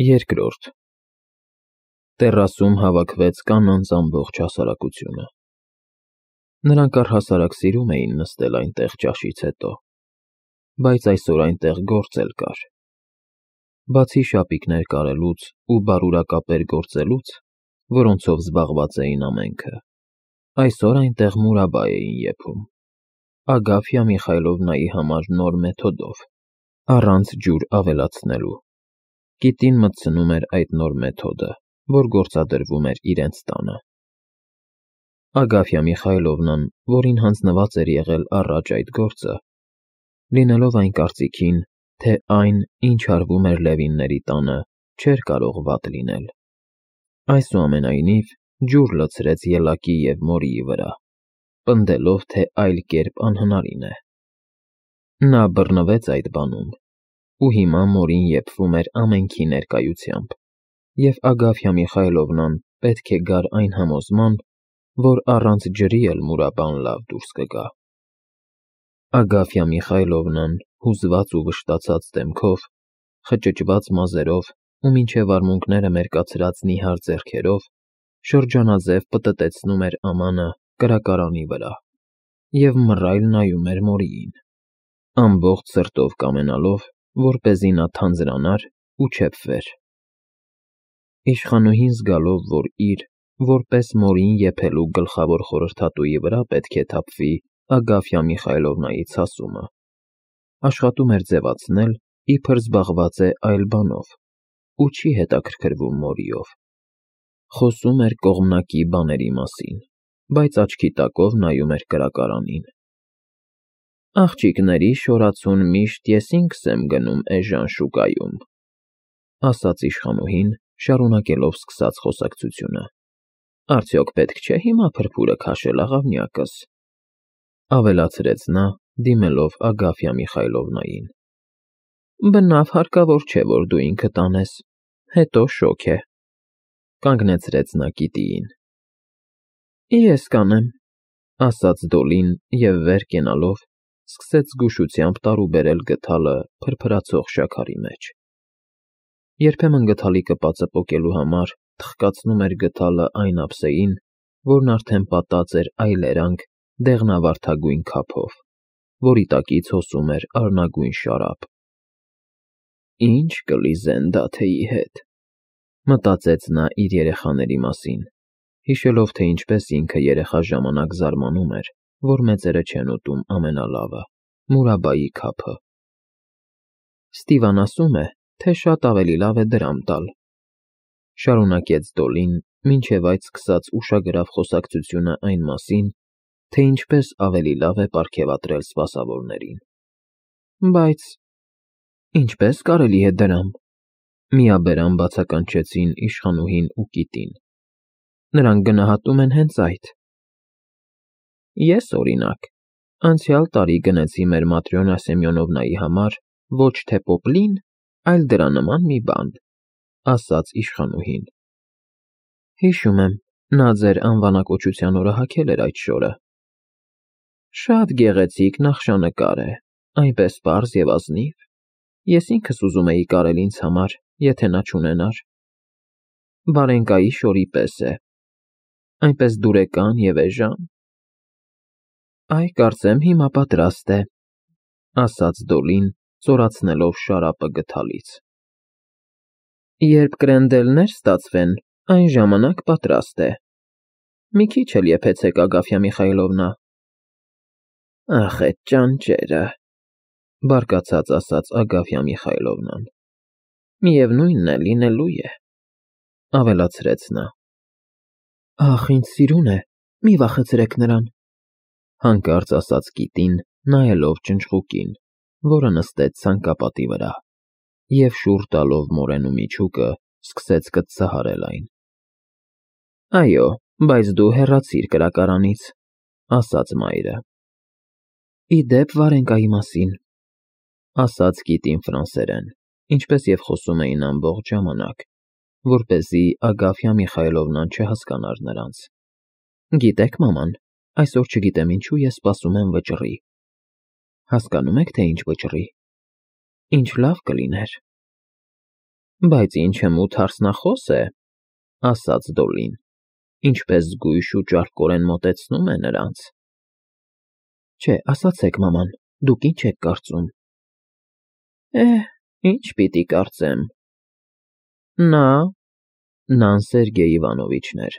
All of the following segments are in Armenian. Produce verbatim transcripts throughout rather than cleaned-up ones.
Երկրորդ Տեռասում հավաքվեց կանանց ամբողջ հասարակությունը. նրանք առհասարակ սիրում էին նստել այնտեղ ճաշից հետո, բայց այսօր այնտեղ գործ էլ կար. բացի շապիկներ կարելուց ու բարուրակապեր գործելուց, որոնցով զբաղված էին ամենքը, այսօր այնտեղ մուրաբա էին եփում, Ագաֆյա Միխայլովնայի համար նոր մեթոդով, առանց ջուր ավելացնելու. կիտին մտցնում էր այդ նոր մեթոդը, որ գործադրվում էր իրենց տանը։ Ագաֆյա Միխայլովնան, որին հանձնված էր եղել առաջ այդ գործը, լինելով այն կարծիքին, թե այն, ինչ արվում էր Լևինների տանը, չէր կարող վատ լինել, այսուամենայնիվ ջուր լցրեց ելակի և մորիի վրա, պնդելով, թե այլ կերպ անհնարին է։ Նա բռնվեց այդ բանում, ու հիմա մորին եփվում էր ամենքի ներկայությամբ, և Ագաֆյա Միխայլովնան պետք է գար այն համոզման, որ առանց ջրի էլ մուրաբան լավ դուրս կգա։ Ագաֆյա Միխայլովնան, հուզված ու վշտացած դեմքով, խճճված մազերով ու մինչև արմունկները մերկացրած նիհար ձեռքերով, շրջանաձև պտտեցնում էր ամանը կրակարանի վրա և մռայլ նայում էր մորիին, ամբողջ սրտով կամենալով, որպեսզի նա թանձրանար ու չեփվեր։ Իշխանուհին զգալով, որ իր, որպես մորին եփելու գլխավոր խորհրդատուի վրա պետք է թափվի Ագաֆյա Միխայլովնայի ցասումը, աշխատում էր ձևացնել, իբր զբաղված է այլ բանով ու չի հետաքրքրվում մորիով, խոսում էր կողմնակի բաների մասին, բայց աչքի տակով նայում էր կրակարանին։ Աղջիկների շորացուն միշտ ես ինքս եմ գնում էժան շուկայում, ասաց իշխանուհին, շարունակելով սկսած խոսակցությունը։ Արդյոք պետք չէ հիմա փրփուրը քաշել աղավնյակս, ավելացրեց նա, դիմելով Ագաֆյա Միխայլովնային։ Բնավ հարկավոր չէ, որ դու ինքդ անես, հետո շոգ է, կանգնեցրեց նա կիտիին։ Ես կանեմ, ասաց Դոլին և վեր կենալով, սկսեց զգուշությամբ տարուբերել գդալը փրփրացող շաքարի մեջ։ Երբեմն գդալի կպածը պոկելու համար թխկացնում էր գդալը այն ափսեին, որն արդեն պատած էր այլերանգ դեղնավարդագույն քափով, որի տակից հոսում էր արնագույն շարապ։ Ինչ կլիզեն Դաթեի հետ, մտածեց նա իր երեխաների մասին, հիշելով, թե ինչպես ինքը երեխա ժամանակ զարմանում էր, որ մեծերը չեն ուտում ամենալավը՝ մուրաբայի քափը։ Ստիվան ասում է, թե շատ ավելի լավ է դրամ տալ, շարունակեց Դոլին, մինչև այդ սկսած ուշագրավ խոսակցությունը այն մասին, թե ինչպես ավելի լավ է պարգևատրել սպասավորներին։ Բայց ինչպե՞ս կարելի է դրամ, միաբերան բացականչեցին իշխանուհին ու կիտին։ Նրանք գնահատում են հենց այդ։ Ես, օրինակ, անցյալ տարի գնեցի մեր Маտրյոնա Սեմյոնովնայի համար ոչ թե պոպլին, այլ դրա նման մի բան, ասաց իշխանուհին։ Հիշում եմ, նա ձեր անվանակոչության օրը հագել էր այդ շորը։ Շատ գեղեցիկ նախշանկար է, այնպես պարզ և ազնիվ, ես ինքս ուզում էի կարել ինձ համար, եթե նա չունենար։ Վարենկայի շորի պես է, այնպես դուրեկան և էժան։ Այ, կարծեմ հիմա պատրաստ է, ասաց Դոլին, ծորացնելով շարապը գդալից։ Երբ կրենդելներ ստացվեն, այն ժամանակ պատրաստ է։ Մի քիչ էլ եփեցեք, Ագաֆյա Միխայլովնա։ Ախ, էդ ճանճերը, բարկացած ասաց Ագաֆյա Միխայլովնան։ Միևնույնն է, լինելու է, ավելացրեց նա։ Ախ, ինձ սիրուն է, մի վախեցրեք նրան, հանկարծ ասաց կիտին, նայելով ճնճղուկին, որը նստեց ցանկապատի վրա, և շուռ տալով մորենու միջուկը, սկսեց կծծահարել այն։ Այո, բայց դու հեռացիր կրակարանից, ասաց մայրը։ Ի դեպ, Վարենկայի մասին, ասաց կիտին ֆրանսերեն, ինչպես և խոսում էին ամբողջ ժամանակ, որպեսզի Ագաֆյա Միխայլովնան չհասկանար նրանց։ Գիտեք, մաման, այսօր չգիտեմ ինչու ես սպասում եմ վճռի։ Հասկանում եք, թե ինչ վճռի։ Ինչ լավ կլիներ։ Բայց ինչ մութ հարսնախոս է, ասաց Դոլին, ինչպես զգույշ ու ճարպկորեն մոտեցնում է նրանց։ Չէ, ասացեք, մաման, դուք ինչ եք կարծում։ Էհ, ինչ պիտի կարծեմ։ Նա, նան Սերգեյ Իվանովիչն էր,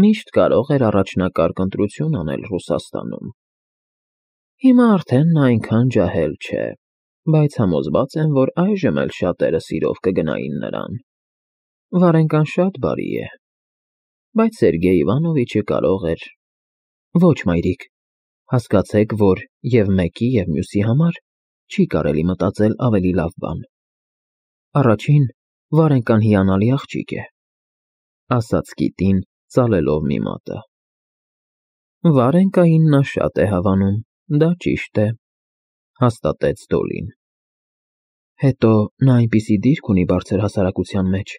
միշտ կարող էր առաջնակարգ ընտրություն անել Ռուսաստանում։ Հիմա արդեն նա այնքան ջահել չէ, բայց համոզված եմ, որ այժմ էլ շատերը սիրով կգնային նրան։ Վարենկան շատ բարի է, բայց Սերգեյ Իվանովիչը կարող էր… Ոչ, մայրիկ, հասկացեք, որ և մեկի և մյուսի համար չի կարելի մտածել ավելի լավ բան։ Առաջին, Վարենկան հիանալի աղջիկ է, ասաց Կիտին, ծալելով մի մատը։ Վարենկային նա շատ է հավանում, դա ճիշտ է, հաստատեց Դոլին։ Հետո նա այնպիսի դիրք ունի բարձր հասարակության մեջ,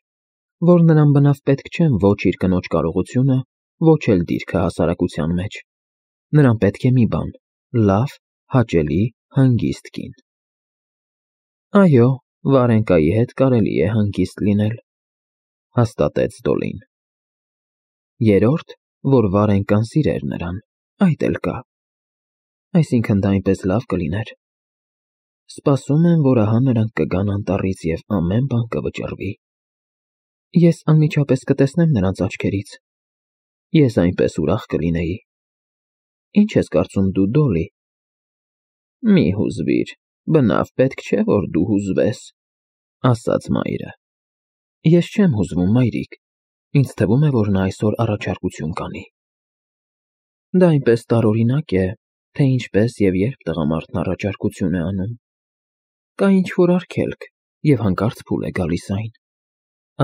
որ նրան բնավ պետք չեն ոչ իր կնոջ կարողությունը, ոչ էլ դիրքը հասարակության մեջ։ Նրան պետք է մի բան՝ լավ, հաճելի, հանգիստ կին։ Այո, Վարենկայի հետ կարելի է հանգիստ լինել, հաստատեց Դոլին։ Երրորդ, որ Վարենկան սիրեր նրան, այդ էլ կա։ Այսինքն դա այնպես լավ կլիներ։ Սպասում եմ, որ ահա նրանք կգան անտառից և ամեն բան կվճռվի։ Ես անմիջապես կտեսնեմ նրանց աչքերից։ Ես այնպես ուրախ կլինեի։ Ինչ ես կարծում դու, Դոլի։ Մի հուզվիր, բնավ պետք չէ, որ դու հուզվես, ասաց մայրը։ Ես չեմ հուզվում, մայրիկ, ինձ թվում է, որ նա այսօր առաջարկություն կանի։ Դա այնպես տարօրինակ է, թե ինչպես և երբ տղամարդն առաջարկություն է անում։ Կա ինչ-որ արգելք, և հանկարծ փուլ է գալիս այն,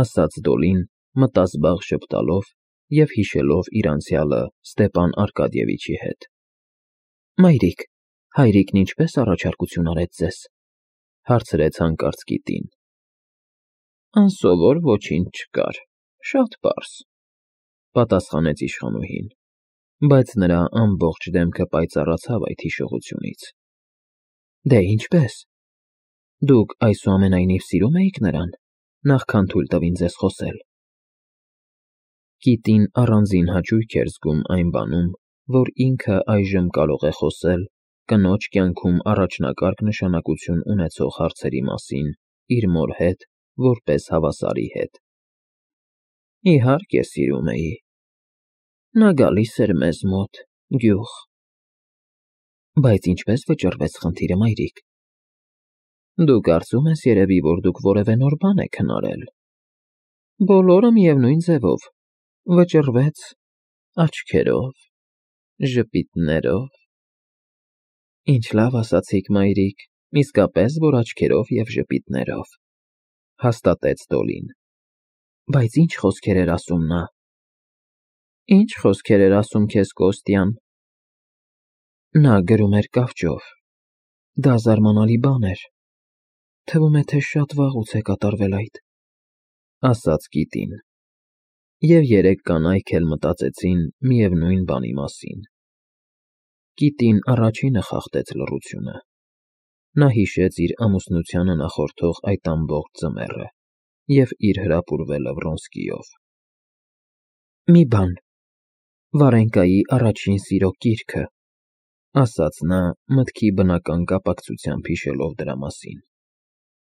ասաց Դոլին, մտազբաղ ժպտալով և հիշելով իր անցյալը Ստեպան Արկադիևիչի հետ։ Մայրիկ, հայրիկն ինչպե՞ս առաջարկություն արեց ձեզ, հարցրեց հանկարծ Կիտին։ Անսովոր ոչինչ չկար, շատ պարզ, պատասխանեց իշխանուհին, բայց նրա ամբողջ դեմքը պայծառացավ այդ հիշողությունից։ Դե ինչպե՞ս։ Դուք այսուամենայնիվ սիրում էիք նրան, նախքան թույլ տվին ձեզ խոսել։ Կիտին առանձին հաճույք էր զգում այն բանում, որ ինքը այժմ կարող է խոսել կնոջ կյանքում առաջնակարգ նշանակություն ունեցող հարցերի մասին իր մոր հետ որպես հավասարի հետ։ Իհարկե սիրում էի։ Նա գալիս էր մեզ մոտ, գյուղ։ Բայց ինչպես վճռվեց խնդիրը, մայրիկ։ Դու կարծում ես երևի, որ դուք որևէ նոր բան եք հնարել։ Բոլորը միևնույն ձևով, վճռվեց աչքերով, ժպիտներով։ Ինչ լավ ասացիք, մայրիկ, իսկապես, որ աչքերով և ժպիտներով, հաստատեց Դոլին։ Բայց ինչ խոսքեր էր ասում նա։ Ինչ խոսքեր էր ասում քեզ Կոստյան։ Նա գրում էր կավճով։ Դա զարմանալի բան էր։ Թվում է, թե շատ վաղուց է կատարվել այդ, ասաց Կիտին։ Եվ երեք կանայք էլ մտածեցին միևնույն բանի մասին։ Կիտին առաջինը խախտեց լռությունը։ Նա հիշեց իր ամուսնությանը նախորդող այդ ամբողջ ձմեռը և իր հրապուրվելը Վրոնսկիով։ Մի բան, Վարենկայի առաջին սիրո կիրքը, ասաց նա մտքի բնական կապակցությամբ հիշելով դրա մասին։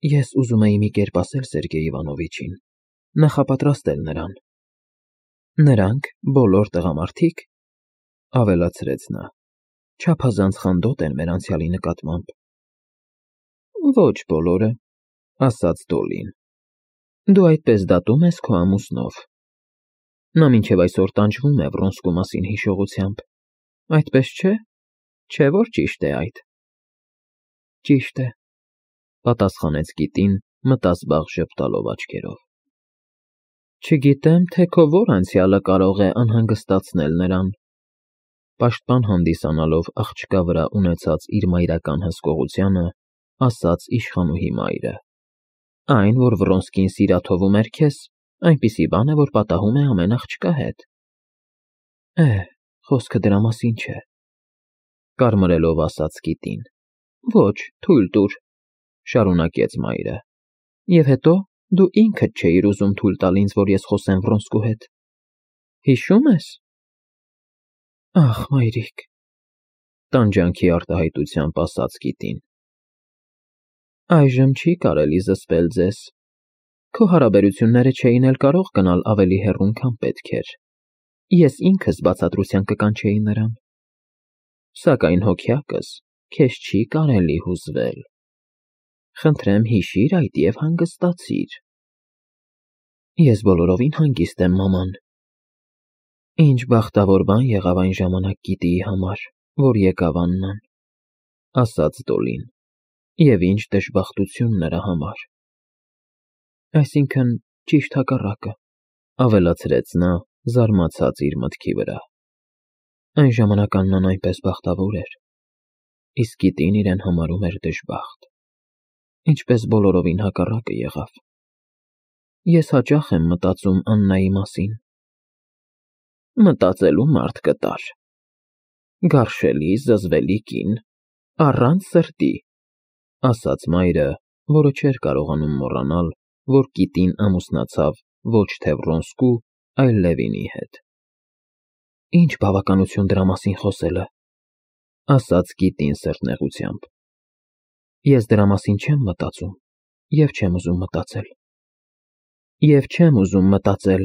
Ես ուզում էի մի կերպ ասել Սերգեյ Իվանովիչին, նախապատրաստել նրան։ Նրանք, բոլոր տղամարդիկ, ավելացրեց նա, չափազանց խանդոտ են մեր անցյալի նկատմամբ։ Ոչ բոլորը, ասաց Դոլին։ Դու այդպես դատում ես քո ամուսնով։ Նա մինչև այսօր տանջվում է Վրոնսկու մասին հիշողությամբ, այդպես չէ, չէ՞ որ ճիշտ է այդ։ Ճիշտ է, պատասխանեց Կիտին, մտազբաղ ժպտալով աչքերով։ Չգիտեմ, թե քո որ անցյալը կարող է անհանգստացնել նրան, պաշտպան հանդիսանալով աղջկա վրա ունեցած իր մայրական հսկողությանը, ասաց իշխանուհի մայրը։ Այն, որ Վրոնսկին սիրաթովում էր քեզ, այնպիսի բան է, որ պատահում է ամեն աղջկա հետ։ Էհ, խոսքը դրա մասին չէ, կարմրելով ասաց Կիտին։ Ոչ, թույլ տուր, շարունակեց մայրը։ Եվ հետո Դու ինքդ չէիր ուզում թույլ տալ ինձ, որ ես խոսեմ Վրոնսկու հետ։ Հիշո՞ւմ ես։ Ախ, մայրիկ, տանջանքի արտահայտությամբ ասաց Կիտին։ Այժմ չի կարելի զսպել ձեզ։ Քո հարաբերությունները չէին էլ կարող գնալ ավելի հեռուն, քան պետք էր։ Ես ինքս բացատրության կկանչեի նրան։ Սակայն հոգյակս քեզ չի կարելի հուզվել։ Խնդրեմ հիշիր այդ և հանգստացիր։ Ես բոլորովին հանգիստ եմ, մաման։ Ինչ բախտավոր բան եղավ այն ժամանակ Կիտիի համար, որ եկավ Աննան, ասաց Դոլին, և ինչ դժբախտություն նրա համար։ Այսինքն, ճիշտ հակառակը, ավելացրեց նա, զարմացած իր մտքի վրա։ Այն ժամանակ Աննան այնպես բախտավոր էր, իսկ Կիտին իրեն համարում էր դժբախտ, ինչպես բոլորովին հակառակը եղավ։ Ես հաճախ եմ մտածում Աննայի մասին։ Մտածելու մարդ կտար։ Գարշելի, զզվելի կին, առանց սրտի, ասաց մայրը, որը չէր կարողանում մոռանալ, որ Կիտին ամուսնացավ ոչ թե Վրոնսկու, այլ Լևինի հետ։ Ինչ բավականություն դրա մասին խոսելը, ասաց Կիտին սրտնեղությամբ։ Ես դրա մասին չեմ մտածում և չեմ ուզում մտածել։ Եվ չեմ ուզում մտածել,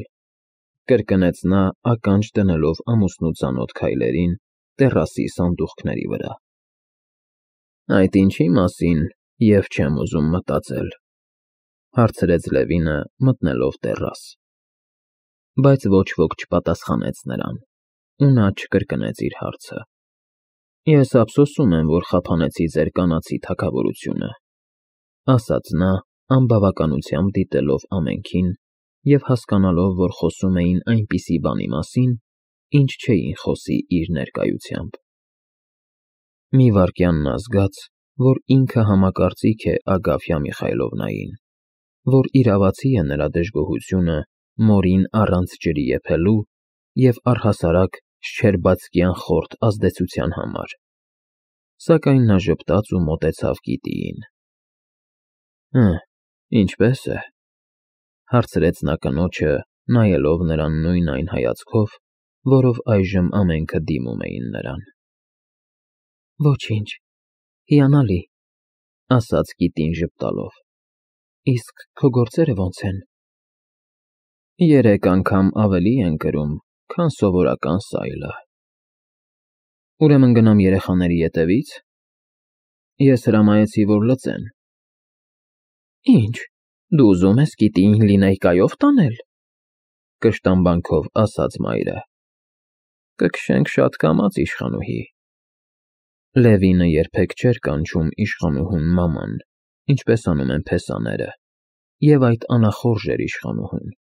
կրկնեց նա, ականջ դնելով ամուսնու ծանոթ քայլերին տեռասի սանդուղքների վրա։ Այդ ինչի մասին և չեմ ուզում մտածել, հարցրեց Լևինը, մտնելով տեռաս։ Բայց ոչ ոք չպատասխանեց նրան, ու նա չկրկնեց իր հարցը։ Ես ափսոսում եմ, որ խափանեցի ձեր կանացի թագավորությունը, ասաց նա, անբավականությամբ դիտելով ամենքին և հասկանալով, որ խոսում էին այնպիսի բանի մասին, ինչ չէին խոսի իր ներկայությամբ։ Մի վայրկյան նա զգաց, որ ինքը համակարծիք է Ագաֆյա Միխայլովնային, որ իրավացի է նրա դժգոհությունը մորին առանց ջրի եփելու և առհասարակ Շչերբացկյան խորթ ազդեցության համար, սակայն նա ժպտաց ու մոտեցավ Կիտիին։ Հը, ինչպե՞ս է, հարցրեց նա կնոջը, նայելով նրան նույն այն հայացքով, որով այժմ ամենքը դիմում էին նրան։ Ոչինչ, հիանալի, ասաց Կիտին ժպտալով։ Իսկ քո գործերը ո՞նց են։ Երեք անգամ ավելի են կրում, քան սովորական սայլը։ Ուրեմն գնամ երեխաների ետևի՞ց։ Ես հրամայեցի, որ լծեն։ Ինչ, դու ուզում ես Կիտիին լինեյկայով տանել, կշտամբանքով ասաց մայրը։ Կքշենք շատ կամաց, իշխանուհի։ Լևինը երբեք չէր կանչում իշխանուհուն մաման, ինչպես անում են փեսաները, և այդ անախորժ էր իշխանուհուն։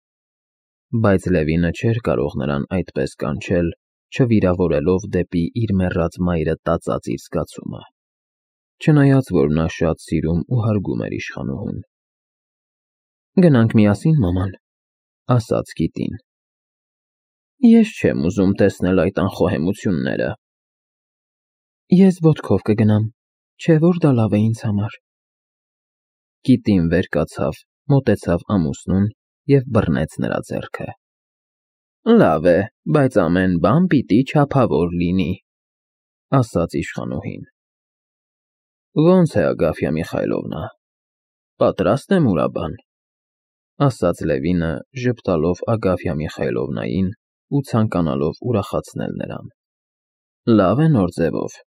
Բայց Լևինը չէր կարող նրան այդպես կանչել, չվիրավորելով դեպի իր մեռած մայրը տածած իր զգացումը, չնայած որ նա շատ սիրում ու հարգում էր իշխանուհուն։ Գնանք միասին, մաման, ասաց Կիտին։ Ես չեմ ուզում տեսնել այդ անխոհեմությունները։ Ես ոտքով կգնամ, չէ՞ որ դա լավ է ինձ համար։ Կիտին վեր կացավ, մոտեցավ ամուսնուն և բռնեց նրա ձեռքը։ Լավ է, բայց ամեն բան պիտի չափավոր լինի, ասաց իշխանուհին։ Ո՞նց է, Ագաֆյա Միխայլովնա, պատրաստ եմ ուրաբան, ասաց Լևինը, ժպտալով Ագաֆյա Միխայլովնային ու ցանկանալով ուրախացնել նրան։ Լավ է նոր ձևով։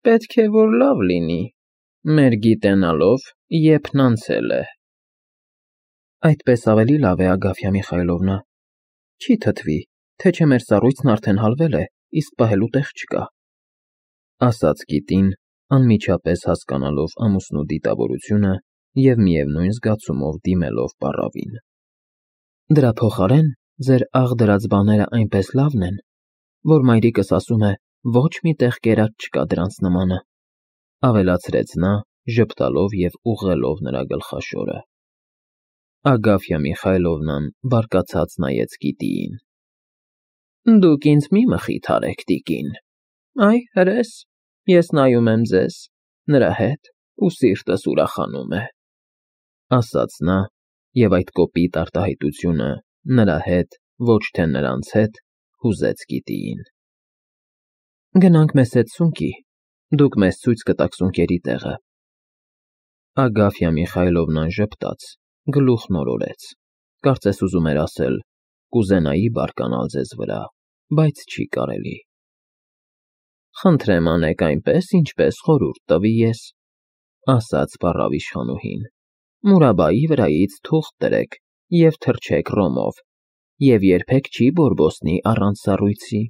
Պետք է որ լավ լինի, մեր գիտենալով եփն անցել է։ Այդպես ավելի լավ է, Ագաֆյա Միխայլովնա, չի թթվի, թե չէ մեր սառույցն արդեն հալվել է, իսկ պահելու տեղ չկա, ասաց Կիտին, անմիջապես հասկանալով ամուսնու դիտավորությունը և միևնույն զգացումով դիմելով պառավին։ Դրա փոխարեն ձեր աղ դրած բաները այնպես լավն են, որ մայրիկս ասում է, ոչ մի տեղ կերած չկա դրանց նմանը, ավելացրեց նա, ժպտալով և ուղղելով նրա գլխաշորը։ Ագաֆյա Միխայլովնան բարկացած նայեց Կիտիին։ Դուք ինձ մի մխիթարեք, տիկին։ Այ, հրես, ես նայում եմ ձեզ, նրա հետ, ու սիրտս ուրախանում է, ասաց նա, և այդ կոպիտ արտահայտությունը նրա հետ, ոչ թե նրանց հետ, հուզեց Կիտիին։ Գնանք մեզ հետ սունկի, դուք մեզ ցույց կտաք սունկերի տեղը։ Ագաֆյա Միխայլովնան ժպտաց, գլուխն օրորեց, կարծես ուզում էր ասել. կուզենայի բարկանալ ձեզ վրա, բայց չի կարելի։ Խնդրեմ անեք այնպես, ինչպես խորհուրդ տվի ես, ասաց պառավ իշխանուհին, Մուրաբայի վրայից թուղթ դրեք և թրջեք ռոմով, և երբեք չի բորբոսնի առանց սառույցի։